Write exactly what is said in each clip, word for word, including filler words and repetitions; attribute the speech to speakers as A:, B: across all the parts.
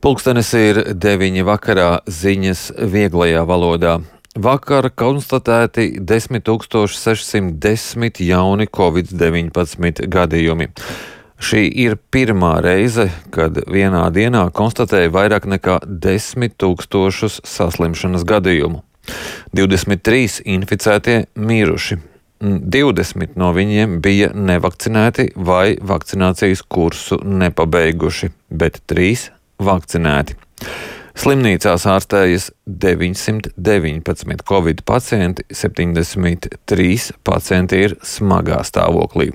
A: Pulkstenis ir deviņi vakarā, ziņas vieglajā valodā. Vakar konstatēti desmit tūkstoši sešsimt desmit jauni covid deviņpadsmit gadījumi. Šī ir pirmā reize, kad vienā dienā konstatēja vairāk nekā desmit tūkstošus saslimšanas gadījumu. divdesmit trīs inficētie miruši. divdesmit no viņiem bija nevakcinēti vai vakcinācijas kursu nepabeiguši, bet trīs vakcinēti. Slimnīcās ārstējas deviņsimt deviņpadsmit covid pacienti, septiņdesmit trīs pacienti ir smagā stāvoklī.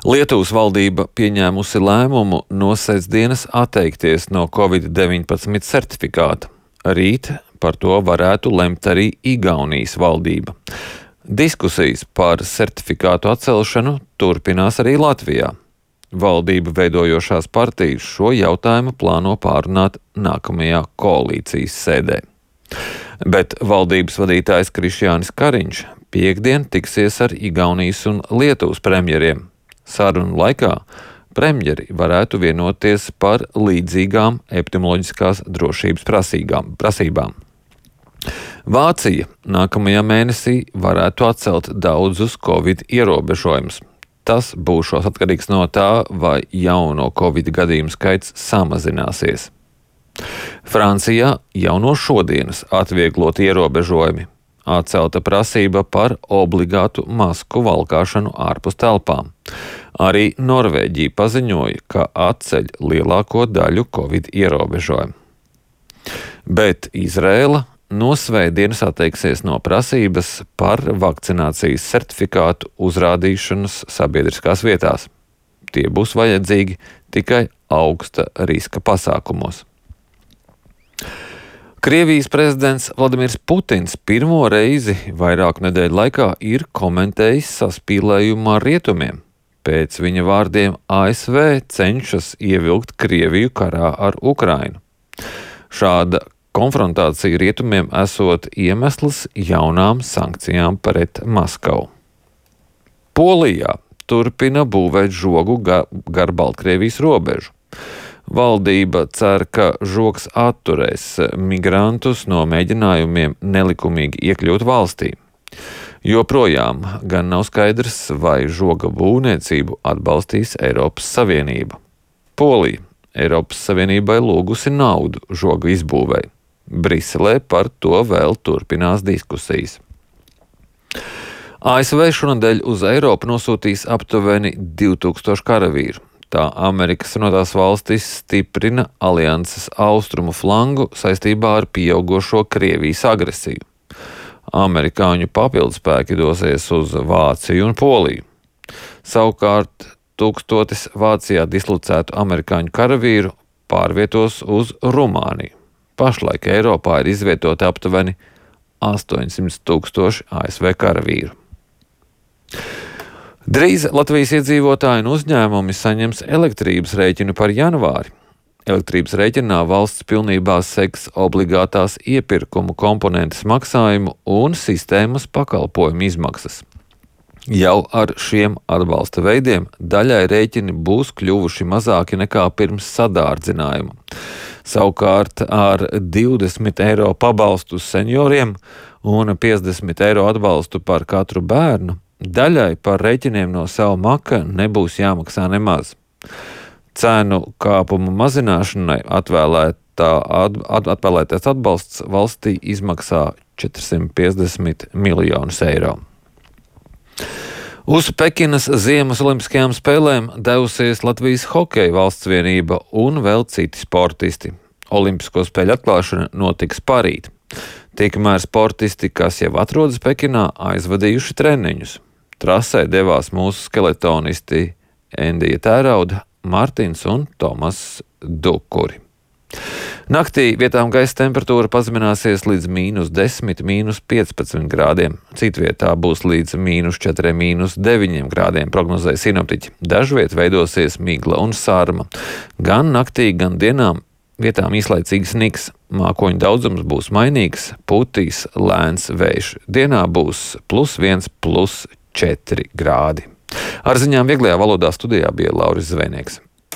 A: Lietuvas valdība pieņēmusi lēmumu no sestdienas atteikties no covid deviņpadsmit certifikāta. Rīt par to varētu lemt arī Igaunijas valdība. Diskusijas par certifikātu atcelšanu turpinās arī Latvijā. Valdību veidojošās partijas šo jautājumu plāno pārunāt nākamajā koalīcijas sēdē. Bet valdības vadītājs Krišjānis Kariņš piektdien tiksies ar Igaunijas un Lietuvas premjeriem. Sarunu laikā premjeri varētu vienoties par līdzīgām epidemioloģiskās drošības prasīgām, prasībām. Vācija nākamajā mēnesī varētu atcelt daudzus covid ierobežojumus. Tas būšos atkarīgs no tā, vai jauno covid gadījumu skaits samazināsies. Francijā jau no šodienas atvieglot ierobežojumi. Atcelta prasība par obligātu masku valkāšanu ārpus telpām. Arī Norvēģija paziņoja, ka atceļ lielāko daļu covid ierobežojumu. Bet Izraela no svētdienas atteiksies no prasības par vakcinācijas certifikātu uzrādīšanas sabiedriskās vietās. Tie būs vajadzīgi tikai augsta riska pasākumos. Krievijas prezidents Vladimirs Putins pirmo reizi vairāku nedēļu laikā ir komentējis saspīlējumu ar rietumiem. Pēc viņa vārdiem A S V cenšas ievilkt Krieviju karā ar Ukrainu. Šāda konfrontācija rietumiem esot iemesls jaunām sankcijām pret Maskavu. Polijā turpina būvēt žogu gar Baltkrievijas robežu. Valdība cer, ka žogs atturēs migrantus no mēģinājumiem nelikumīgi iekļūt valstī. Joprojām gan nav skaidrs, vai žoga būvniecību atbalstīs Eiropas Savienība. Polija Eiropas Savienībai lūgusi naudu žoga izbūvēi. Briselē par to vēl turpinās diskusijas. A S V šonadēļ uz Eiropu nosūtīs aptuveni divi tūkstoši karavīru. Tā Amerikas Savienotās valstis stiprina alianses austrumu flangu saistībā ar pieaugošo Krievijas agresiju. Amerikāņu papildspēki dosies uz Vāciju un Poliju. Savukārt tūkstotis Vācijā dislocētu amerikāņu karavīru pārvietos uz Rumāniju. Pašlaik Eiropā ir izvietoti aptuveni astoņsimt tūkstoši A S V karavīru. Drīz Latvijas iedzīvotāji un uzņēmumi saņems elektrības rēķinu par janvāri. Elektrības rēķinā valsts pilnībā seks obligātās iepirkumu komponentes maksājumu un sistēmas pakalpojumu izmaksas. Jau ar šiem atbalsta veidiem daļai rēķini būs kļuvuši mazāki nekā pirms sadārdzinājuma. Savukārt ar divdesmit eiro pabalstu senioriem un piecdesmit eiro atbalstu par katru bērnu daļai par rēķiniem no sava maka nebūs jāmaksā nemaz. Cenu kāpumu mazināšanai atvēlētā, at, atvēlētais atbalsts valstī izmaksā četrsimt piecdesmit miljonus eiro. Uz Pekinas Ziemas olimpiskajām spēlēm devusies Latvijas hokeja valsts vienība un vēl citi sportisti. Olimpisko spēļu atklāšana notiks parīt. Tikmēr sportisti, kas jau atrodas Pekinā, aizvadījuši treniņus. Trasē devās mūsu skeletonisti Endija Tērauda, Martins un Tomas Dukuri. Naktī vietām gaisa temperatūra pazemināsies līdz mīnus desmit, mīnus piecpadsmit grādiem. Citvietā būs līdz mīnus četri, mīnus deviņi grādiem, prognozēja sinoptiķi. Dažviet veidosies migla un sārma. Gan naktī, gan dienām vietām īslaicīgs sniks. Mākoņu daudzums būs mainīgs, putīs lēns vējš. Dienā būs plus viens, plus četri grādi. Ar ziņām vieglajā valodā studijā bija Lauris Zvejnieks.